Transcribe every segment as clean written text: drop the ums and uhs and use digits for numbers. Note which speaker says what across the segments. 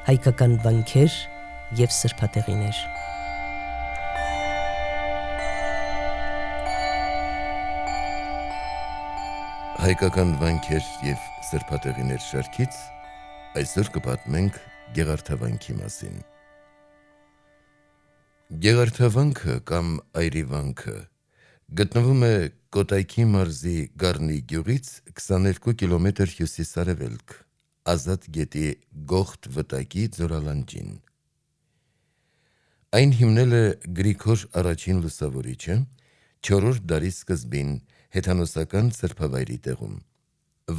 Speaker 1: հայկական վանքեր և սրբատեղիներ։
Speaker 2: Հայկական վանքեր և սրբատեղիներ շարքից այսօր կպատմենք Գեղարդավանքի մասին։ Գեղարդավանքը կամ Այրիվանքը գտնվում է Կոտայքի մարզի Գառնի գյուղից 22 կիլոմետր հյուսիս-արևելք, Ազատ գետի Գողթ վտակի ձորալանջին։ Այն հիմնել է Գրիգոր I Լուսավորիչը 4-րդ դարի սկզբին հեթանոսական սրբավայրի տեղում։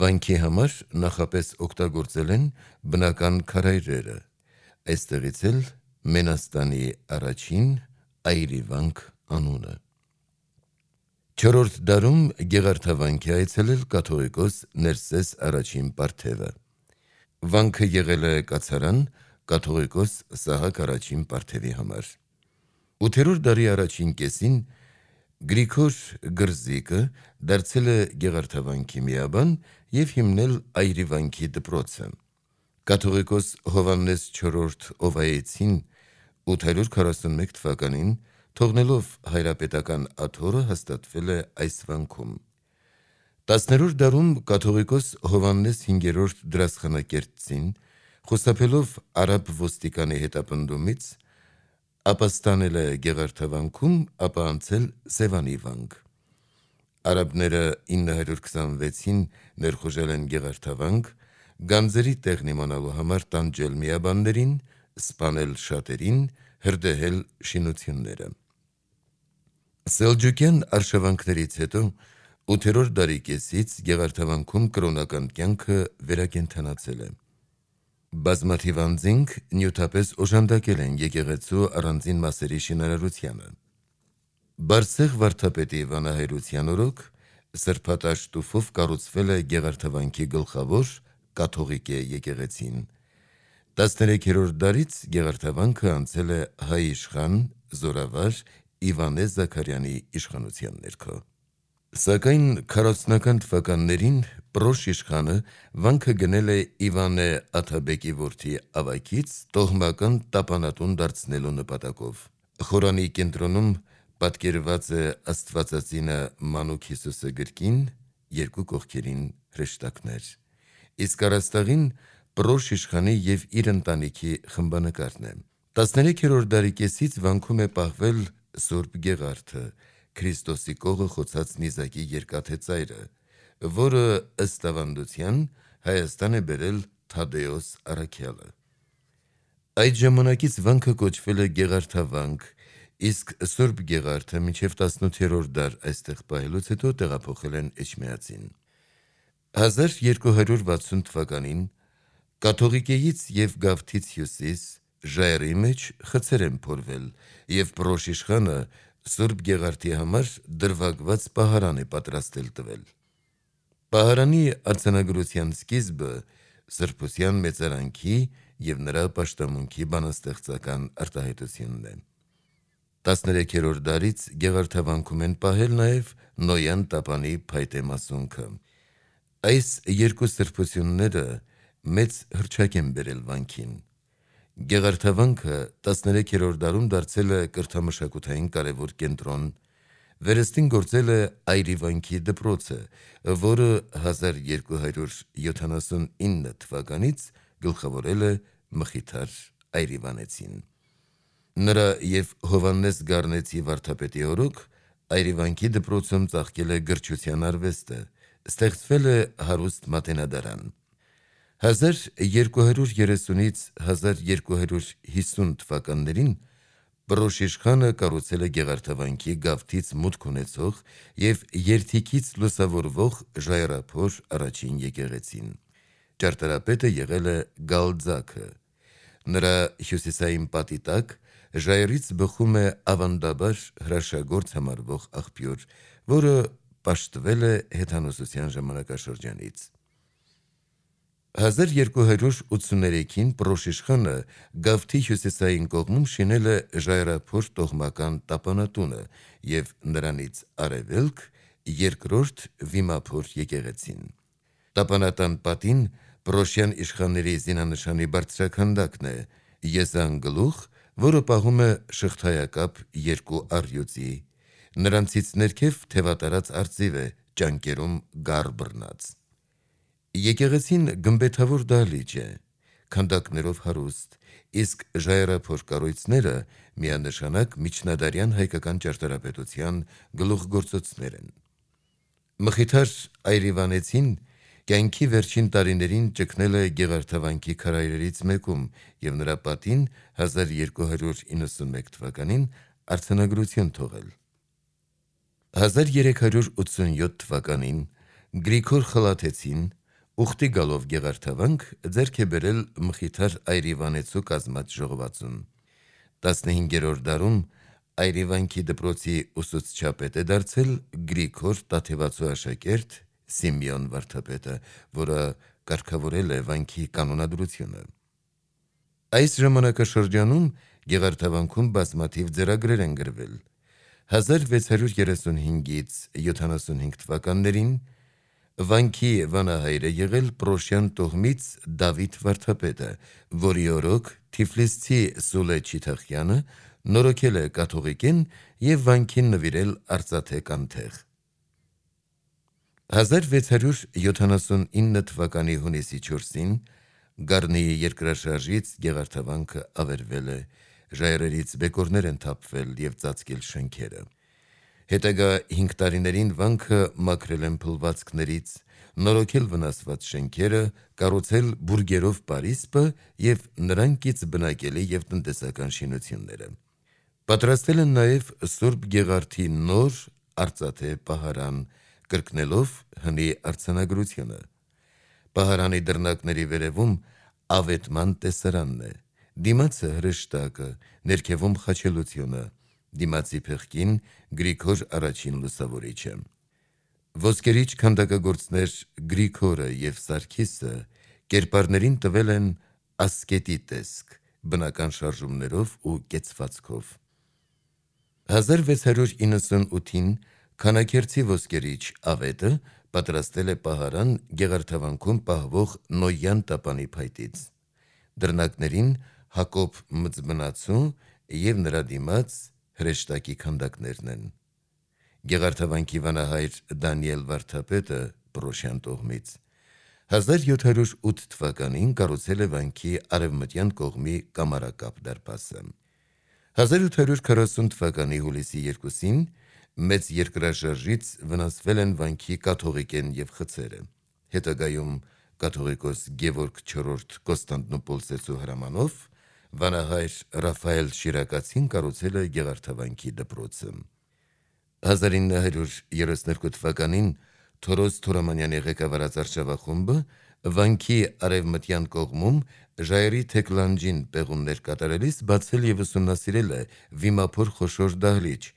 Speaker 2: Վանքի համար նախապես օգտագործել են բնական քարայրերը, այստեղից էլ Մենաստանի առաջին Այրիվանք անունը։ 4-րդ դարում Գեղարդավանք է այցելել կաթողիկոս Ներսես I Պարթևը։ Վանքը եղել է կացարան կաթողիկոս Սահակ I Պարթևի համար։ 8-րդ դարի առաջին կեսին Գրիգոր Գրզիկը դարձել է Գեղարդավանքի միաբան և հիմնել Այրիվանքի դպրոցը։ Կաթողիկոս Հովհաննես IV Օվայեցին 841 թվականին թողնելով հայրապետական աթոռը հաստատվել է այս վանքում։ 10-րդ դարում կաթողիկոս Հովհաննես V դրացխանակերտցին խուսափելով արաբ ոստիկանի հետապնդումից ապաստանել է Գեղարդավանքում, ապա անցել Սևանի վանք։ Արաբները 926-ին ներխուժել են Գեղարդավանք, գանձերի տեղն իմանալու համար տանջել միաբաններին, սպանել շատերին, հրդեհել շինությունները։ Սելջուկյան արշավանքներից հետո 8-րդ դարի կեսից Գեղարդավանքում կրոնական կյանքը վերակենդանացել է։ Բազմաթիվ անձինք նյութապես օժանդակել են եկեղեցու առանձին մասերի շինարարությանը։ Բարսեղ վարդապետի վանահայրության օրոք սրբատաշ տուֆով կառուցվել է Գեղարդավանքի գլխավոր կաթողիկե եկեղեցին։ 13-րդ դարից Գեղարդավանքը անցել է հայ իշխան զորավար Իվանե Զաքարյանի իշխանության ներքո։ Սակայն 40-ական թվականներին Պրոշ իշխանը վանքը գնել է Իվանե Աթաբեկի որդի Ավագից տոհմական տապանատուն դարձնելու նպատակով։ Խորանի կենտրոնում պատկերված է Աստվածածինը Մանուկ Հիսուսը գրկին, երկու կողքերին հրեշտակներ, իսկ առաստաղին Պրոշ իշխանի և իր ընտանիքի խմբանկարն է։ 13-րդ դարի կեսից վանքում է պահվել Սուրբ Գեղարդը, Քրիստոսի կողը խոցած նիզակի երկաթե ծայրը, որը ըստ ավանդության Հայաստան է բերել Թադեոս առաքյալը։ Այդ ժամանակից վանքը կոչվել է Գեղարդավանք, իսկ Սուրբ Գեղարդը մինչև 18-րդ դար այստեղ պահելուց հետո տեղափոխել են Էջմիածին։ 1260 թվականին կաթողիկեից և Գավթից հյուսիս ժայռի մեջ խցեր են փորվել և Պրոշ իշխանը Սուրբ Գեղարդի համար դրվագված պահարան է պատրաստել տվել։ Պահարանի արձանագրության սկիզբը սրբության մեծարանքի և նրա պաշտամունքի բանաստեղծական արտահայտությունն է։ 13-րդ դարից Գեղարդավանքում են պահել նաև Նոյան տապանի փայտե մասունքը։ Այս երկու սրբությունները մեծ հռչակ են բերել վանքին։ Գեղարդավանքը 13-րդ դարում դարձել է կրթամշակութային կարևոր կենտրոն, վերստին գործել է Այրիվանքի դպրոցը, որը 1279 թվականից գլխավորել է Մխիթար Այրիվանեցին։ Նրա և Հովհաննես Գառնեցի վարդապետի օրոք Այրիվանքի դպրոցում ծաղկել է գրչության արվեստը, ստեղծվել է հարուստ մատենադարան։ 1230-ից 1250 թվականներին Պրոշ իշխանը կառուցել է Գեղարդավանքի գավթից մուտք ունեցող և երթիքից լուսավորվող ժայռափոր առաջին եկեղեցին։ Ճարտարապետը եղել է Գալձաքը։ Նրա հյուսիսային պատի տակ ժայռից բխում է ավանդաբար հրաշագործ համարվող աղբյուր, որը պաշտվել է հեթանոսության ժամանակաշրջանից։ 1283-ին Պրոշ իշխանը Գավթի հյուսիսային կողմում շինել է ժայռափոր տոհմական տապանատունը և նրանից արևելք երկրորդ վիմափոր եկեղեցին։ Տապանատան պատին Պրոշյան իշխանների զինանշանի բարձրաքանդակն է, եզանգլուխ, որը պահում է շղթայակապ երկու առյուծի, նրանցից ներքև թևատարած արծիվ է, ճանկերում գար բռնած։ Եկեղեցին գմբեթավոր դահլիճ է, քանդակներով հարուստ, իսկ ժայռափոր կառույցները միանշանակ միջնադարյան հայկական ճարտարապետության գլուխգործոցներ են։ Մխիթար Այրիվանեցին կյանքի վերջին տարիներին ճգնել է Գեղարդավանքի քարայրերից մեկում և նրա պատին 1291 թվականին արձանագրություն թողել։ 1387 թվականին Գրիգոր Խլաթեցին ուխտի գալով Գեղարդավանք ձեռք է բերել Մխիթար Այրիվանեցու կազմած ժողովածուն։ 15-րդ դարում Այրիվանքի դպրոցի ուսուցչապետ է դարձել Գրիգոր Տաթևացու աշակերտ Սիմեոն վարդապետը, որը կարգավորել է վանքի կանոնադրությունը։ Այս ժամանակաշրջանում Գեղարդավանքում բազմաթիվ ձեռագրեր են գրվել։ 1635-ից 75 թվականներին վանքի վանահայր է եղել Պրոշյան տոհմից Դավիթ վարդապետը, որի օրոք թիֆլիսցի Սուլե Չիթախյանը նորոգել է կաթողիկեն և վանքին նվիրել արծաթե կանթեղ։ 1679 թվականի հունիսի 4-ին Գառնիի երկրաշարժից Գեղարդավանքը ավերվել է, ժայռերից բեկորներ են թափվել և ծածկել շենքերը։ Հետագա 5 տարիներին վանքը մաքրել են փլվածքներից, նորոգել վնասված շենքերը, կառուցել բուրգերով պարիսպը և նրանքից բնակելի և տնտեսական շինությունները։ Պատրաստել են նաև Սուրբ Գեղարդի նոր արծաթե պահարան, կրկնելով հնի արձանագրությունը։ Պահարանի դռնակների վերևում ավետման տեսարանն է, դիմացը հրեշտակը, ներքևում խաչելությունը, դիմացի փեղկին Գրիգոր առաջին լուսավորիչը։ Ոսկերիչ քանդակագործներ Գրիգորը և Սարգիսը կերպարներին տվել են ասկետի տեսք, բնական շարժումներով ու կեցվածքով։ 1698-ին Քանաքերցի ոսկերիչ Ավետը պատրաստել է պահարան Գեղարդավանքում պահվող Նոյան տապանի փայտից։ Դռնակներին Հակոբ Մծբնացու և նրա դիմաց հրեշտակի քանդակներն են։ Գեղարդավանքի վանահայր Դանիել վարդապետը Պրոշյան տոհմից 1708 թվականին կառուցել է վանքի արևմտյան կողմի կամարակապ դարպասը։ 1840 թվականի հուլիսի 2-ին մեծ երկրաշարժից վնասվել են վանքի կաթողիկեն և խցերը։ Հետագայում կաթողիկոս Գևորգ IV Կոստանդնուպոլսեցու հրամանով վանահայր Ռաֆայել Շիրակացին կառուցել է Գեղարդավանքի դպրոցը։ 1932 թվականին Թորոս Թորամանյանի ղեկավարած արշավախումբը վանքի արևմտյան կողմում ժայռի թեքլանջին պեղումներ կատարելիս բացել և ուսումնասիրել է վիմափոր խոշոր դահլիճ,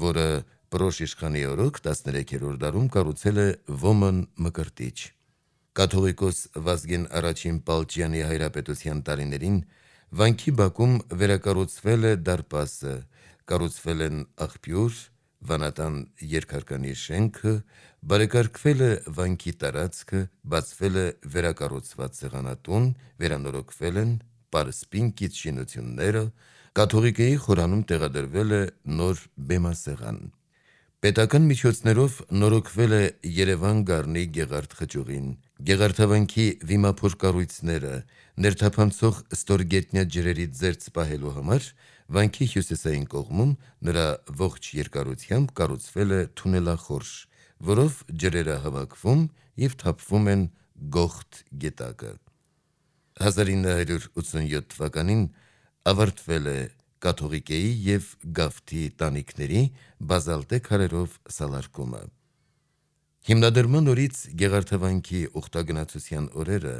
Speaker 2: որը Պրոշ իշխանի օրոք 13-րդ դարում կառուցել է Ոմն Մկրտիչ։ Կաթողիկոս Վազգեն I Պալճյանի հայրապետության տարիներին վանքի բակում վերակառուցվել է դարպասը, կառուցվել են աղբյուր, վանատան երկհարկանի շենքը, բարեկարգվել է վանքի տարածքը, բացվել է վերակառուցված սեղանատուն, վերանորոգվել են պարսպին կից շինությունները, կաթողիկեի խորանում տեղադրվել է նոր բեմասեղան։ Պետական միջոցներով նորոգվել է Երևան Գառնի Գեղարդ խճուղին, Գեղարդավանքի վիմափոր կառույցները, ներթափանցող ստորգետնյա ջրերից զերծ պահելու համար վանքի հյուսիսային կողմում նրա ողջ երկարությամբ կառուցվել է թունելախորշ, որով ջրերը հավաքվում և թափվում են Գողթ գետակը։ 1987 թվականին ավարտվել է կաթողիկեի և գավթի տանիքների բազալտե քարերով սալարկումը։ Հիմնադրման օրից Գեղարդավանքի ուխտագնացության օրերը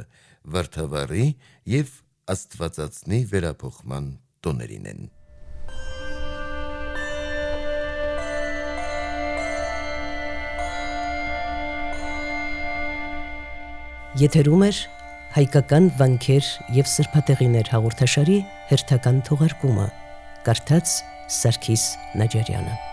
Speaker 2: Վարդավառի և Աստվածածնի վերափոխման տոներին են։
Speaker 1: Եթերում էր հայկական վանքեր և սրբատեղիներ հաղորդաշարի հերթական թողարկումը, կարդաց Սարգիս Նաջարյանը։